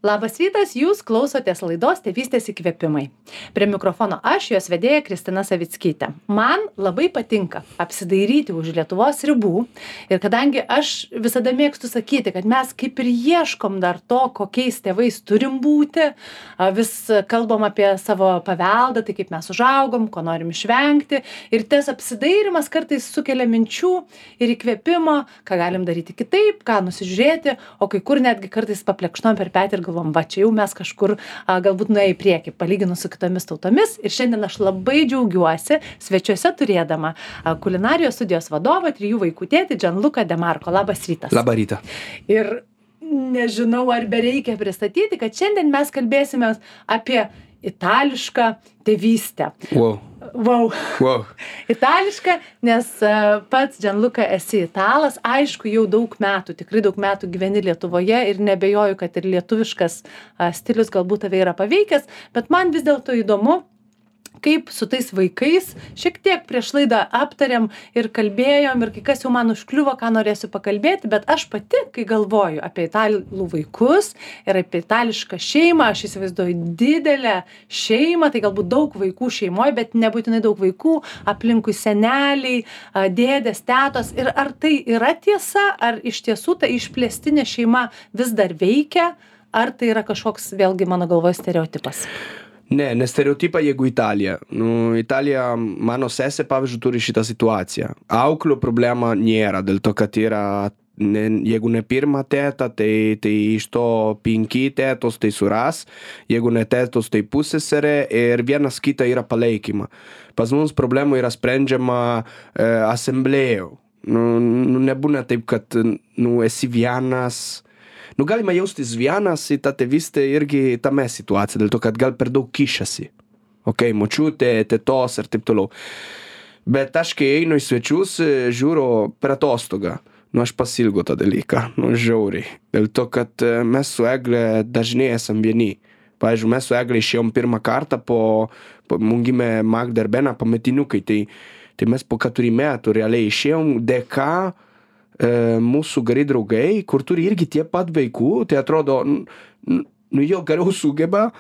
Labas rytas, jūs klausotės laidos Tėvystės įkvėpimai. Prie mikrofono aš, jos vedėja Kristina Savickytė. Man labai patinka apsidairyti už Lietuvos ribų ir kadangi aš visada mėgstu sakyti, kad mes kaip ir ieškom dar to, kokiais tėvais turim būti, vis kalbam apie savo paveldą, tai kaip mes užaugom, ko norim išvengti ir tas apsidairimas kartais sukelia minčių ir įkvėpimo, ką galim daryti kitaip, ką nusižiūrėti, o kai kur netgi kartais paplekšnom per petį ir galvom, va, čia jau mes kažkur galbūt nuėję į priekį, palyginus su kitomis tautomis. Ir šiandien aš labai džiaugiuosi svečiuose turėdama kulinarijos studijos vadovą, 3 vaikų tėtį Gianluca De Marco. Labas rytas. Labą rytą. Ir nežinau, ar bereikia pristatyti, kad šiandien mes kalbėsime apie itališką tėvystę. Wow. Itališka, nes pats Gianluca esi italas, aišku, jau daug metų, tikrai daug metų gyveni Lietuvoje ir nebejoju, kad ir lietuviškas stilius galbūt tave yra paveikęs, bet man vis dėlto įdomu, kaip su tais vaikais, šiek tiek prieš laidą aptarėm ir kalbėjom ir kai kas jau man užkliuvo, ką norėsiu pakalbėti, bet aš pati, kai galvoju apie italų vaikus ir apie itališką šeimą, aš įsivaizduoju didelę šeimą, tai galbūt daug vaikų šeimoje, bet nebūtinai daug vaikų, aplinkui seneliai, dėdės, tetos. Ir ar tai yra tiesa, ar iš tiesų ta išplėstinė šeima vis dar veikia, ar tai yra kažkoks, vėlgi mano galvoje, stereotipas? Ne stereotipa, jeigu Italija. Italija, mano sesė, pavyzdžiui, turi šitą situaciją. Auklių problema nėra, dėl to, kad yra, jeigu ne pirma teta, tai iš to 5 tetos tai suras, jeigu ne tetos, tai pusseserė ir vienas kitą yra palaikyma. Pas mums problema yra sprendžiama asamblėjų. Nebūna taip, kad esi vienas. Galima jaustis vienas į tą tėvystę irgi tame situacija, dėl to, kad gal per daug kišasi. Močiutė, tetos ir taip toliau. Bet aš, kai einu į svečius, žiūriu per atostogą. Aš pasilgo tą dalyką, žiauriai. Dėl to, kad mes su Egle dažnai esam vieni. Pavyzdžiui, mes su Egle išėjom pirmą kartą mums gimė Magda ir Bena pametiniukai. Tai mes po 4 metų realiai išėjom dėka mūsų geri draugai, kur turi irgi tie pat vaikų, tai atrodo, jo geriau sugeba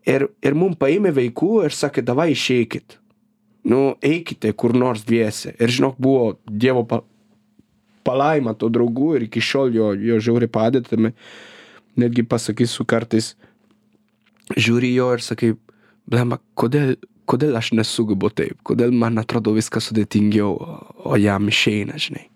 ir mums paėmė vaikų ir sakė, davai išeikit. Eikite kur nors dviese. Ir žinok, buvo Dievo palaima to draugų ir iki šiol jo žiauriai padėtame. Netgi pasakysiu kartais, žiūri jo ir sakai, blemba, kodėl aš nesugebu taip? Kodėl man atrodo viskas sudėtingiau, o jam išeina, žinai.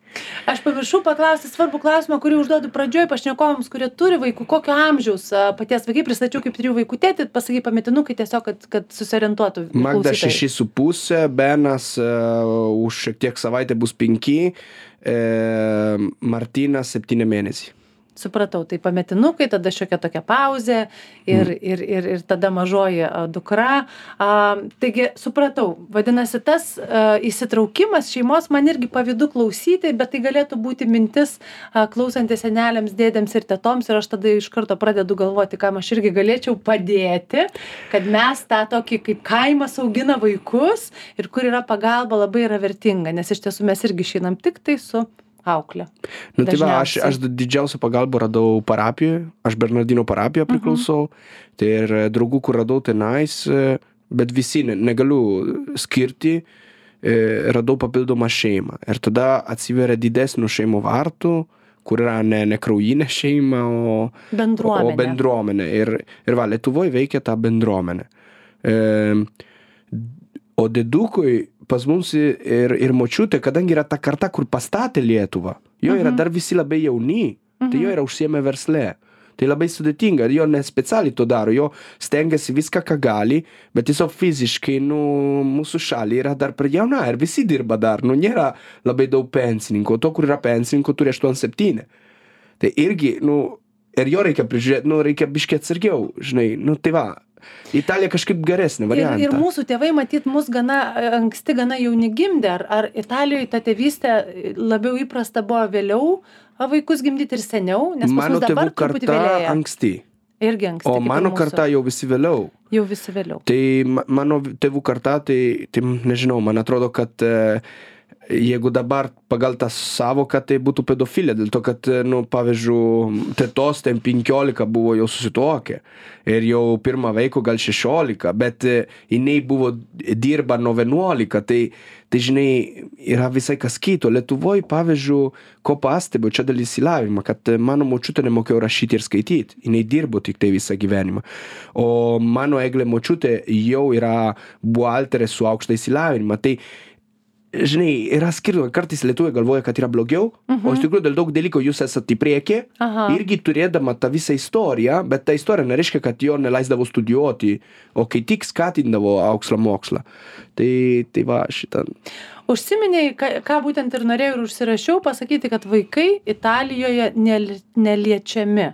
Aš pamiršau paklausti svarbų klausimą, kurį užduodu pradžioj pašnekovams, kurie turi vaikų, kokio amžiaus paties vaikai, pristačiau kaip 3 vaikų tėtį, pasakai pametinukai tiesiog, kad susiorientuotų Magda klausytojai. 6,5, Benas už šiek tiek savaitę bus 5, Martynas 7 mėnesiai. Supratau, tai pametinukai, tada šiokia tokia pauzė ir tada mažoji dukra. Taigi, supratau, vadinasi, tas įsitraukimas šeimos man irgi pavydu klausyti, bet tai galėtų būti mintis klausantis seneliams, dėdėms ir tetoms ir aš tada iš karto pradedu galvoti, kam aš irgi galėčiau padėti, kad mes tą tokį kaip kaimas augina vaikus ir kur yra pagalba labai yra vertinga, nes iš tiesų mes irgi išeinam tik tai su auklė. Tai va, aš didžiausią pagalbą radau parapijoje, aš Bernardino parapijoje priklausau, tai ir draugų, kur radau tenais, bet visi negaliu skirti, radau papildomą šeimą. Ir tada atsiveria didesnių šeimų vartų, kur yra ne kraujinė šeima, o bendruomenė. Ir va, Lietuvoje veikia ta bendruomenė. O dėdukui pas mums ir močiutė, kadangi yra ta karta, kur pastatė Lietuvą, jo yra dar visi labai jauni, tai jo yra užsiėmę versle. Tai labai sudėtinga, jo nespecialiai to daro, jo stengiasi viską, ką gali, bet tiesiog fiziškai, mūsų šalį yra dar per jauna ir visi dirba dar, nėra labai daug pensininkų, to, kur yra pensininkų, turi 8-7. Tai irgi, ir jo reikia prižiūrėti, reikia biškiai atsargiau, žinai, tai va. Italija kažkaip geresnė variantą. Ir mūsų tėvai, matyt, mus gana anksti, gana jauni gimdė. Ar Italijoje ta tėvystė labiau įprasta buvo vėliau vaikus gimdyti ir seniau? Nes mano tėvų karta anksti. Irgi anksti. O mano karta jau visi vėliau. Jau visi vėliau. Tai mano tėvų karta, tai nežinau, man atrodo, kad jeigu dabar pagal tą savoką, tai būtų pedofilija, dėl to, kad, pavyzdžiui, tetos ten 15 buvo jau susituokę ir jau pirmą vaikų gal 16, bet jinai buvo dirba nuo 11, tai žinai, yra visai kas kito. Lietuvoj, pavyzdžiui, ko pastebiu, čia dėl įsilavinimo, kad mano močiutė nemokėjo rašyti ir skaityti, jinai dirbo tik tai visą gyvenimą. O mano Eglė močiutė jau yra buhalterė su aukštą įsilavinimą. Tai žinai, yra skirtumai, kartais lietuviai galvoja, kad yra blogiau, o iš tikrųjų dėl daug dalykų jūs esate į priekį, irgi turėdama tą visą istoriją, bet ta istorija nereiškia, kad jo neleisdavo studijuoti, o kai tik skatindavo aukslą mokslą. Tai va šitą. Užsiminėjai, ką būtent ir norėjau ir užsirašiau pasakyti, kad vaikai Italijoje neliečiami.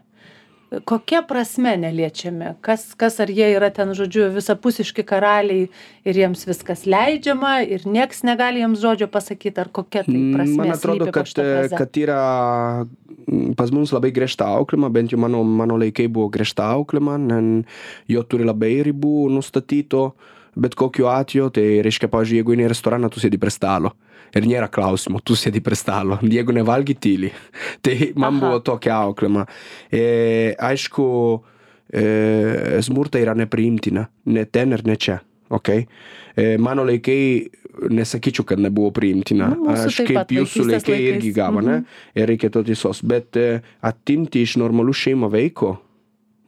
Kokia prasme neliečiami? Kas ar jie yra ten, žodžiu, visapusiški karaliai ir jiems viskas leidžiama ir nieks negali jiems žodžio pasakyti, ar kokia tai prasmė? Man atrodo, kad yra pas mums labai griežta auklima, bent jau mano laikai buvo griežta auklima, jo turi labai ribų nustatyto, bet kokiu atveju, tai reiškia, pavyzdžiui, jeigu į restoraną, tu sėdi prie stalo. Ir nėra klausimų, tu sėdi prie stalo, jeigu nevalgi tyli. Tai man buvo tokia auklima. Aišku, smurta yra nepriimtina, ne ten ir ne čia. Okay? Mano laikai, nesakyčiau, kad nebuvo priimtina. Aš kaip jūsų laikai irgi gavo, ne? Ir reikia to tiesos. Bet atimti iš normalų šeimą vaiko,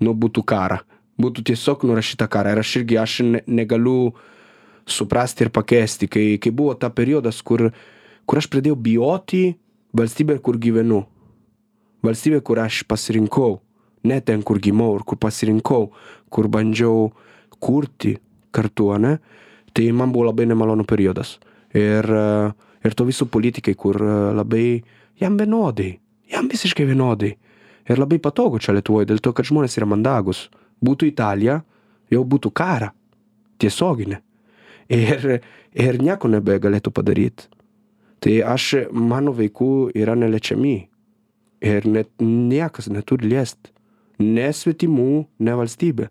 būtų kara. Būtų tiesiog nurašyta kara. Ir aš negaliu suprasti ir pakesti, kai buvo ta periodas, kur aš pradėjau bijoti valstybę, kur gyvenu. Valstybė, kur aš pasirinkau, ne ten, kur gimau ir kur pasirinkau, kur bandžiau kurti kartu, ne? Tai man buvo labai nemalonu periodas. Ir to visų politikai, kur labai, jam vienodai, jam visiškai vienodai. Ir labai patogu čia Lietuvoje, dėl to, kad žmonės yra mandagus. Būtų Italija, jau būtų kara, tiesioginė. Ir nieko nebegalėtų padaryti. Tai mano vaikų yra neliečiami. Ir net niekas neturi liesti. Ne svetimų, ne valstybė.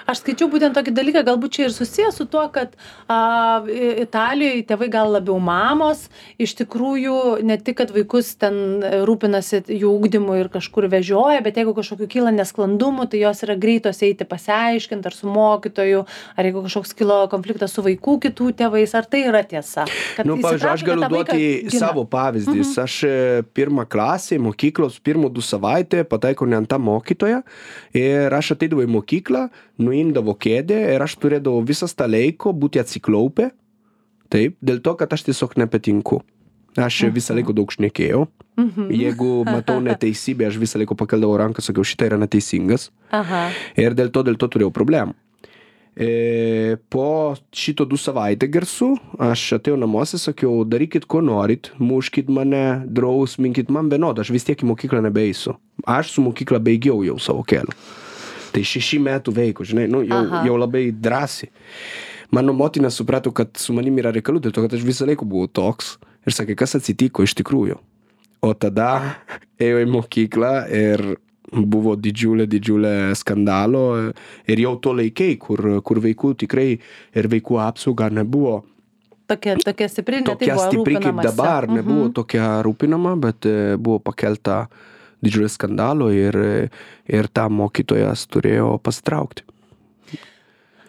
Aš skaičiau būtent tokį dalyką, galbūt čia ir susijęs su tuo, kad Italijoje tėvai gal labiau mamos, iš tikrųjų ne tik, kad vaikus ten rūpinasi jų ugdymu ir kažkur vežioja, bet jeigu kažkokių kyla nesklandumų, tai jos yra greitos eiti pasiaiškinti ar su mokytoju, ar jeigu kažkoks kilo konfliktas su vaikų kitų tėvais, ar tai yra tiesa? Pavyzdžiui, aš galiu duoti savo pavyzdys. Aš pirmą klasę mokyklos, pirmų 2 savaitę pataikau ne ant tą mokytoją ir aš ateidavau į mokyklą, nuimdavo kėdę ir aš turėdavau visas tą laiko būti atsiklaupę, taip, dėl to, kad aš tiesiog nepatinku. Aš visą laiką daug šnekėjau. Jeigu matau neteisybę, aš visą laiką pakeldavau ranką, sakiau, šitą yra neteisingas. Ir dėl to turėjau problemų. Po šito 2 savaitę garsų, aš atėjau namuose, sakiau, darykit, ko norit, muškit mane, drausminkit, man vienodai, aš vis tiek į mokyklą nebeisiu. Aš su mokykla baigiau jau savo kelią. Tai 6 metų veikų, žinai, jau labai drąsiai. Mano motina suprato, kad su manim yra reikalų, dėl to, kad aš visą laiką buvau toks. Ir sakė, kas atsitiko iš tikrųjų. O tada ėjau į mokyklą ir buvo didžiulė skandalo. Ir jau to laikai, kur vaikų tikrai ir vaikų apsauga nebuvo. Tokia stipri, ne tai buvo stipri kaip dabar, nebuvo tokia rūpinama, bet buvo pakelta didžiulio skandalo ir tą mokytojas turėjo pasitraukti.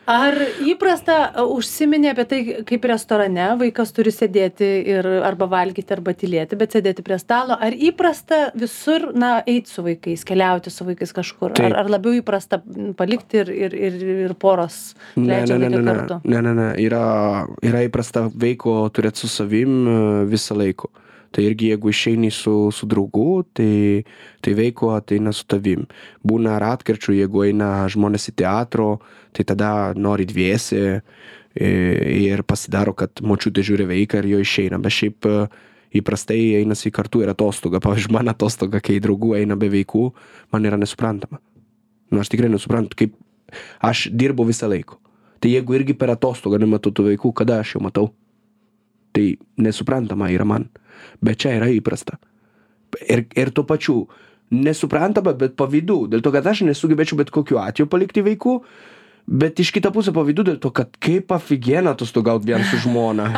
Ar įprasta užsiminė apie tai, kaip restorane vaikas turi sėdėti ir arba valgyti, arba tylėti, bet sėdėti prie stalo? Ar įprasta visur, eiti su vaikais, keliauti su vaikais kažkur? Ar labiau įprasta palikti ir poros leidžia laiką kartu? Ne. Yra įprasta vaiko turėti su savim visą laiką. Tai irgi jeigu išeini su draugu, tai vaiko ateina su tavim. Būna ratkirčių, jeigu eina žmonės į teatro, tai tada nori dviese ir pasidaro, kad močiutė žiūri vaiką ir jo išeina. Bet šiaip įprastai einasi kartu ir atostoga. Pavyzdžiui, man atostoga, kai draugų eina be vaikų, man yra nesuprantama. Aš tikrai nesuprantu, kaip aš dirbu visą laiką. Tai jeigu irgi per atostogą nematau tų vaikų, kada aš jau matau? Tai nesuprantama yra man. Bet čia yra įprasta. Ir tuo pačiu nesuprantama, bet pavydu. Dėl to, kad aš nesugebėčiau bet kokiu atveju palikti vaikų, Bet iš kitą pusę pavydu dėl to, kad kaip aфиgeną atostogaut vien su žmona.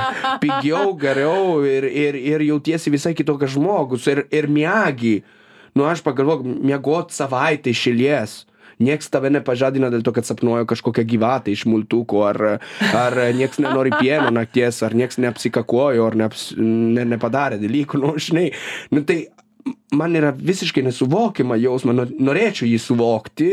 Pigiau, geriau ir jautiesi visai kitokias žmogus ir miegi. Nu, aš pagalvoju, miegot savaitę iš eilės. Nieks tave nepažadina dėl to, kad sapnuoja kažkokią gyvatę iš multuko, ar nieks nenori pieno nakties, ar nieks neapsikakojo, ar nepadarė dalykų. Nu, žinai, nu, tai man yra visiškai nesuvokiama jausma, norėčiau jį suvokti.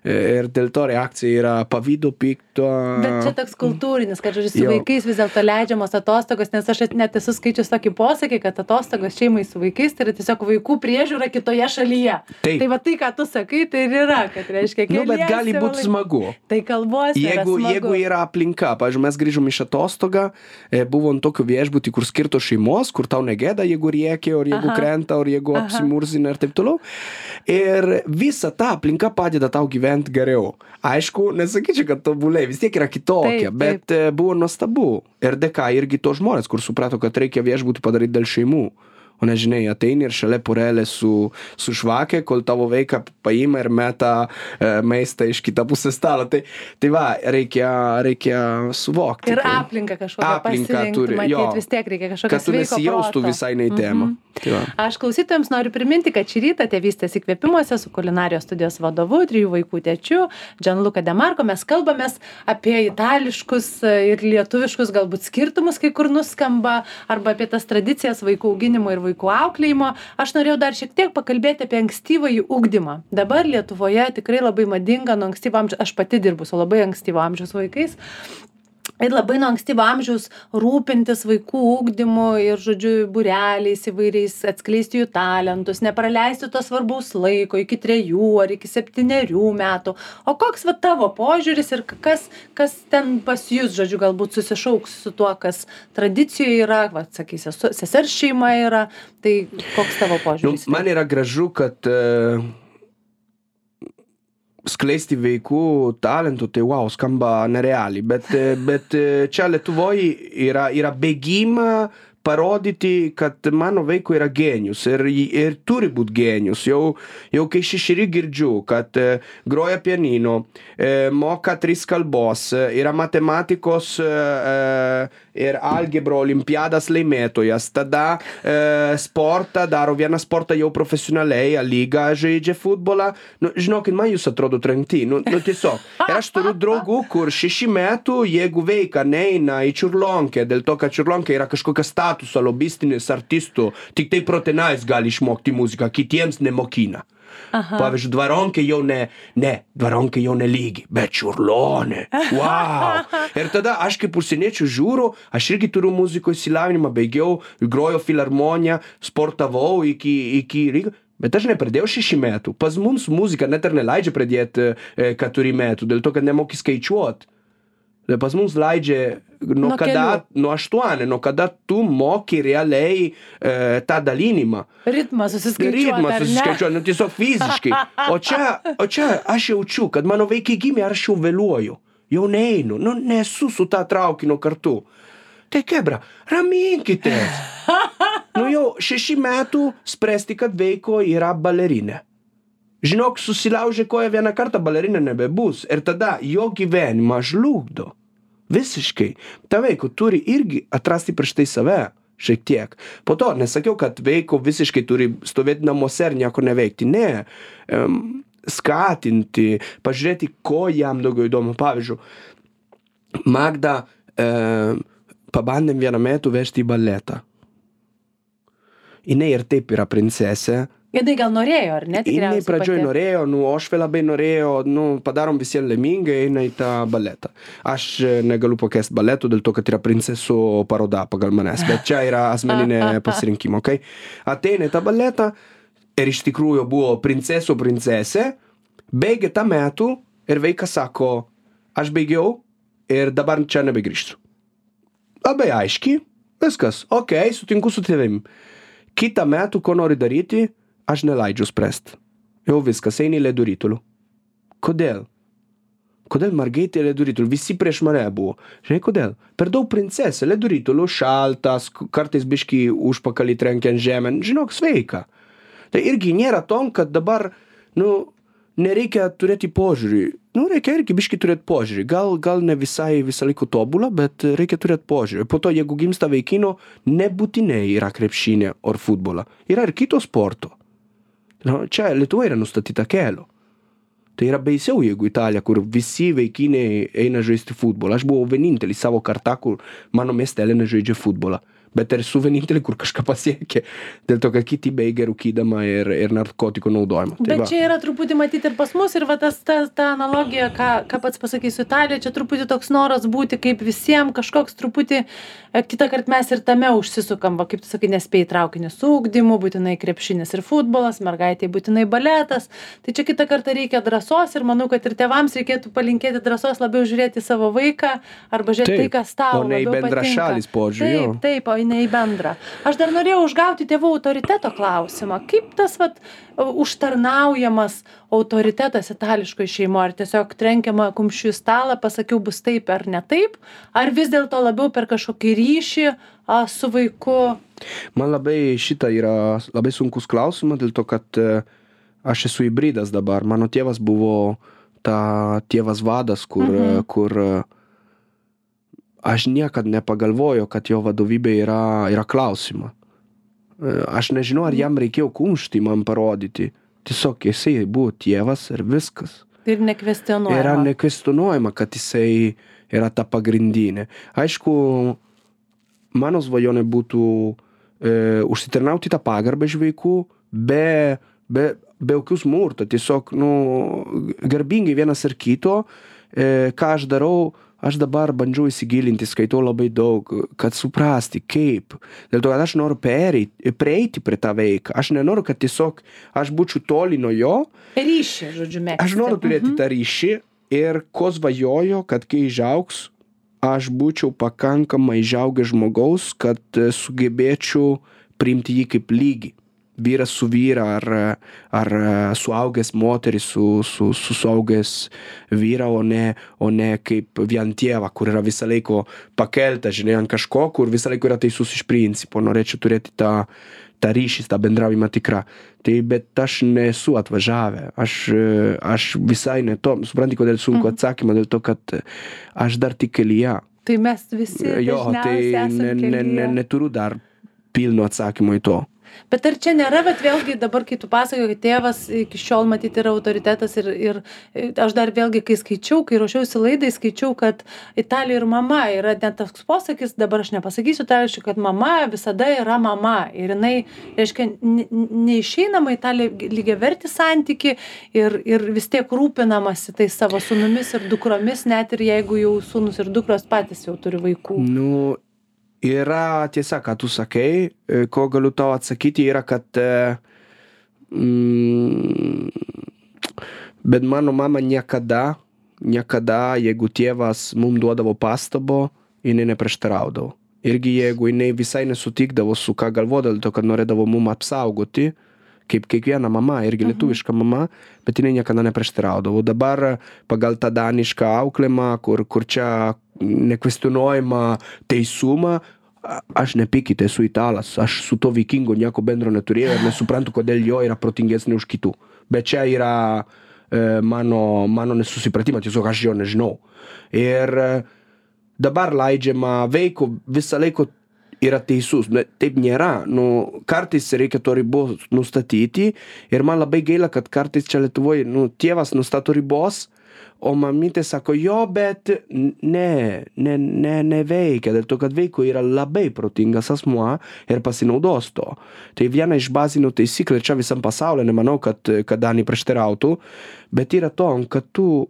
Ir dėl to reakcija yra pavydo, pikto. Bet čia toks kultūrinis, kad žodžiu, su vaikais vis dėlto leidžiamos atostogos, nes aš net esu skaičius tokį posakį, kad atostogos šeimai su vaikais tai yra tiesiog vaikų priežiūra kitoje šalyje. Tai va tai, ką tu sakai, tai ir yra, kad reiškia keliesi. Nu, bet gali būti smagu. Tai kalbos yra smagu. Jeigu yra aplinka, pavyzdžiui, mes grįžom iš atostogą, buvom tokiu viešbutį, kur skirto šeimos, kur tau negėda, jeigu rėkia, ar jeigu krenta, ar jeigu apsimurzina ir taip toliau. Ir visa ta aplinka padeda tau gyventi geriau. Aišku, nesakyčiau, kad tobuliai, vis tiek yra kitokia, bet buvo nuostabu. Ir dėka irgi to žmonės, kur suprato, kad reikia viešbutį padaryti dėl šeimų. O nežinai, ateini ir šalia porelė su švakė, kol tavo vaiką paima ir meta maistą iš kitą pusę stalo. Tai va, reikia suvokti. Ir aplinką kažkokią pasirinkti, matyti, vis tiek reikia kažkokią sveiko proto. Kad tu nesijaustų visai nei temą. Aš klausytojams noriu priminti, kad šį rytą Tėvystės įkvėpimuose su kulinarijos studijos vadovu, 3 vaikų tėčiu, Gianluca De Marco, mes kalbamės apie itališkus ir lietuviškus galbūt skirtumus, kai kur nuskamba, arba apie tas tradicijas vaikų auginimo ir vaikų auklėjimo. Aš norėjau dar šiek tiek pakalbėti apie ankstyvąjį ugdymą. Dabar Lietuvoje tikrai labai madinga nuo ankstyvo amžiaus, aš pati dirbu su labai ankstyvo amžiaus vaikais. Ir labai nuo ankstyvo amžiaus rūpintis vaikų ugdymu ir, žodžiu, būreliais įvairiais, atskleisti jų talentus, nepraleisti to svarbaus laiko iki 3 ar iki 7 metų. O koks va tavo požiūris ir kas ten pas jūs, žodžiu, galbūt susišauks su tuo, kas tradicijoje yra, va, sakysi, sesers šeima yra, tai koks tavo požiūris? Man yra gražu, kad skleisti vaikų talentų, tai wow, skamba nerealiai, bet čia Lietuvoje yra bėgima parodyti, kad mano vaiko yra genijus ir turi būti genijus. Jau kai 6 girdžiu, kad groja pianino, moka 3 kalbos, yra matematikos ir algebro olimpiadas laimėtojas, tada sportą daro vieną sportą jau profesionaliai, lygą žaidžia futbolą. Nu, žinokit, man jūs atrodo trenkti. Nu tiesiog. Ir aš turiu draugų, kur 6 metų, jeigu veika neina į čiurlionkę, dėl to, kad čiurlionkė yra kažkokia statuso lobistinis artistų, tik tai protenais gali išmokti muziką, kitiems nemokina. Pavyzdžiui, dvaronkė jau ne lygi, bet čiurlionė. Wow! Ir tada aš kaip užsieniečių žiūriu, aš irgi turiu muzikos išsilavinimą, baigiau, grojo filharmoniją, sportavau iki Rygos. Bet aš nepradėjau 6 metų. Pas mums muzika net ir neleidžia pradėti 4 metų, dėl to, kad nemoki skaičiuoti. Pas mums leidžia nuo 8, nuo kada tu moki realiai tą dalinimą. Ritmą susiskaičiuoti, nu tiesiog fiziškai. O čia aš jaučiu, kad mano vaikai gimė, aš jau vėluoju. Jau neinu, nesu su tą traukiniu kartu. Tai kebra, raminkitės. Jau 6 metų spręsti, kad vaiko yra balerinė. Žinok, susilaužė koją vieną kartą, balerinė nebebus. Ir tada jo gyvenimą žlugdo. Visiškai. Ta vaiko turi irgi atrasti prieš tai save. Šiek tiek. Po to nesakiau, kad vaiko visiškai turi stovėti namuose ir nieko neveikti. Ne. Skatinti, pažiūrėti, ko jam daugiau įdomu. Pavyzdžiui, Magda pabandėm vieną metų vežti į baletą. Jinai ir taip yra princesė. Jinai gal norėjo, ar ne? Jinai pradžioj norėjo, aš labai norėjo, padarom visiems laimingai, eina į tą baletą. Aš negaliu pakęsti baletų dėl to, kad yra princesų paroda pagal manęs, bet čia yra asmeninė pasirinkimo, okay? Ateina į tą baletą ir iš tikrųjų buvo princesė, baigė tą metų ir vaikas sako, aš baigiau ir dabar čia nebegrįžtu. Labai aiškiai, viskas, okei, sutinku su tavim. Kitą metų, ko nori daryti, aš neleidžiu spręsti. Jau viskas, eini ledų rytulių. Kodėl? Kodėl mergaitė ledų rytulių? Visi prieš mane buvo. Žinai, kodėl? Per daug princesė, ledų rytulių, šaltas, kartais biškį užpakalį trenkia ant žemę. Žinok, sveika. Tai irgi nėra tom, kad dabar, nereikia turėti požiūrį. Reikia irgi biškį turėti požiūrį. Gal ne visai visą laiką tobulą, bet reikia turėti požiūrį. Po to, jeigu gimsta vaikino, nebūtinai yra krepšinė ar futbolą. Yra ir kito sporto. Čia Lietuva yra nustatyta kelio. Tai yra baisiau, jeigu Italija, kur visi vaikiniai eina žaisti futbolą. Aš buvau vienintelis savo kartą, kur mano miestelė nežaidžia futbolą. Bet esu vienintelį, kur kažką pasiekė. Dėl to, kad kiti baigia rūkydama ir narkotikų naudojimą. Bet čia yra truputį matyti ir pas mus, ir va ta analogija, ką pats pasakysiu Italijoje, čia truputį toks noras būti kaip visiems, kažkoks truputį, kitą kartą mes ir tame užsisukam, va, kaip tu sakai, nespėjai traukinį su ugdymu, būtinai krepšinis ir futbolas, mergaitė būtinai baletas. Tai čia kitą kartą reikia drąsos ir manau, kad ir tėvams reikėtų palinkėti drąsos labiau žiūrėti savo vaiką arba žiūrėti tai, kas tau labiau patinka. O ne į bendrą šalis požiūrį. Taip, o ne į bendrą. Aš dar norėjau užgauti tėvų autoriteto klausimą. Kaip tas užtarnaujamas autoritetas itališkoj šeimoje? Ar tiesiog trenkiama kumščiu į stalą, pasakiau bus taip ar ne taip? Ar vis dėlto labiau per kažkokį ryšį su vaiku? Man labai šita yra labai sunkus klausimas, dėl to, kad aš esu hybridas dabar. Mano tėvas buvo tėvas vadas, kur aš niekad nepagalvoju, kad jo vadovybė yra klausima. Aš nežinau, ar jam reikėjo kumštį man parodyti. Tiesiog jisai buvo tėvas ir viskas. Ir nekvestionuojama. Yra nekvestionuojama, kad jisai yra ta pagrindinė. Aišku, mano svajonė būtų užsitarnauti tą pagarbą iš vaikų, be jokių smurto. Tiesiog, garbingai vienas ir kito, ką aš darau, aš dabar bandžiau įsigilinti, skaitau labai daug, kad suprasti, kaip. Dėl to, kad aš noriu prieiti prie tą veiką. Aš nenoriu, kad tiesiog aš būčiau toli nuo jo. Ryšį, žodžiu, mėgsti. Aš noriu turėti tą ryšį ir ko svajoju, kad kai išaugs, aš būčiau pakankamai išaugęs žmogaus, kad sugebėčiau priimti jį kaip lygį. Vyras su vyra ar suaugęs moteris su suaugęs vyra, o ne kaip vien tėva, kur yra visą laiką pakelta, žinai, ant kažko, kur visą laiką yra teisus iš principo. Norėčiau turėti tą ryšį, tą bendravimą tikrą. Tai bet aš nesu atvažiavę. Aš visai ne to. Supranti, kodėl sunku atsakymą, dėl to, kad aš dar tik kelyje. Tai mes visi dažniausiai esam kelyje. Neturiu dar pilno atsakymo į to. Bet ar čia nėra, bet vėlgi dabar, kai tu pasakoji, kad tėvas iki šiol matyti yra autoritetas ir aš dar vėlgi, kai ruošiausi laidai, skaičiau, kad Italija ir mama yra net toks posakis, dabar aš nepasakysiu itališkai, kad mama visada yra mama ir jinai, reiškia, neišeinama į tą lygiavertį santykį ir vis tiek rūpinamasi tai savo sūnumis ir dukromis, net ir jeigu jau sūnus ir dukros patys jau turi vaikų. Yra tiesa, ką tu sakai, ko galiu tau atsakyti, yra, kad bet mano mama niekada, jeigu tėvas mums duodavo pastabo, jinai neprieštaraudavo. Irgi jeigu jinai visai nesutikdavo su ką galvodavo, to, kad norėdavo mums apsaugoti, kaip kiekviena mama, irgi lietuviška mama, bet jinai niekada neprieštaraudavo. Dabar pagal tą danišką auklėjimą, kur čia nekvestionuojama teisumą, aš nepykit, esu italas, aš su to vikingo nieko bendro neturėjau ir nesuprantu, kodėl jo yra protingesnė už kitų. Bet čia yra mano nesusipratimas, tiesiog aš jo nežinau. Ir dabar leidžiama veiko visą laiką yra teisus, taip nėra. Kartais reikia to ribos nustatyti ir man labai gaila, kad kartais čia Lietuvoje tėvas nustato ribos, o mamytė sako, jo, bet neveikia, dėl to, kad vaiko yra labai protingas asmuo ir pasinaudos to. Tai viena iš bazinių taisyklių, čia visam pasaulyje, nemanau, kad Dani prieštarautų, bet yra to, kad tu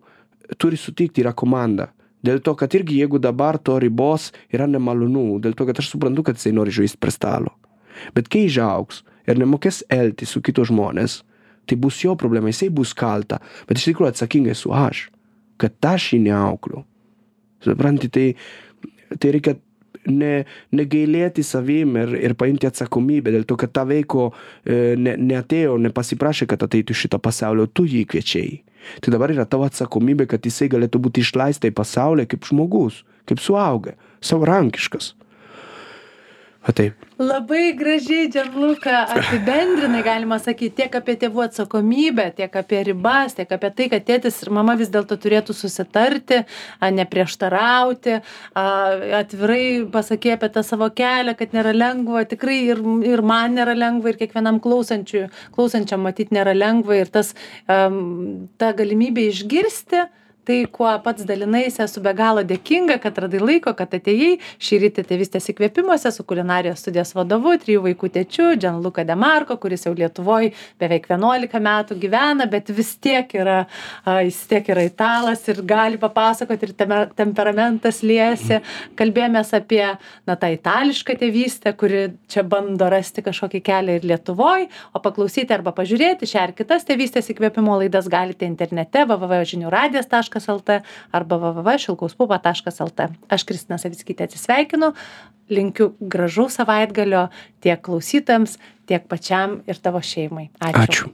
turi sutikti, yra komanda. Dėl to, kad irgi jeigu dabar to ribos yra nemalonu, dėl to, kad aš suprantu, kad jisai nori žaisti prie stalo. Bet kai išaugs ir nemokės elgtis su kitos žmonės, tai bus jo problema, jisai bus kalta, bet iš tikrųjų atsakingai esu aš, kad aš jį neaukliu. Supranti, tai reikia negailėti savim ir paimti atsakomybę, dėl to, kad ta veiko neatėjo, nepasiprašė, kad ateitų šitą pasaulio, tu jį kviečiai. Tai dabar yra tavo atsakomybė, kad jisai galėtų būti išleista į pasaulį kaip žmogus, kaip suaugę, savarankiškas. Taip. Labai gražiai, Gianluca, apibendrinai, galima sakyti, tiek apie tėvų atsakomybę, tiek apie ribas, tiek apie tai, kad tėtis ir mama vis dėlto turėtų susitarti, neprieštarauti, atvirai pasakė apie tą savo kelią, kad nėra lengva, tikrai ir man nėra lengva, ir kiekvienam klausančiam matyti nėra lengva, ir ta galimybė išgirsti tai, kuo pats dalinaisi, esu be galo dėkinga, kad radai laiko, kad atėjai. Šį rytą Tėvystės įkvėpimuose su kulinarijos studijos vadovu, 3 vaikų tėčiu, Gianluca De Marco, kuris jau Lietuvoje beveik 11 metų gyvena, bet vis tiek yra italas ir gali papasakoti, ir temperamentas liejasi. Kalbėjomės apie tą itališką tėvystę, kuri čia bando rasti kažkokį kelią ir Lietuvoje, o paklausyti arba pažiūrėti šią ar kitas Tėvystės įkvėpimo laidas galite internete www.žiniuradijas.lt arba www.šilkauspupa.lt. Aš Kristina Savickytė atsisveikinu, linkiu gražaus savaitgalio tiek klausytojams, tiek pačiam ir tavo šeimai. Ačiū.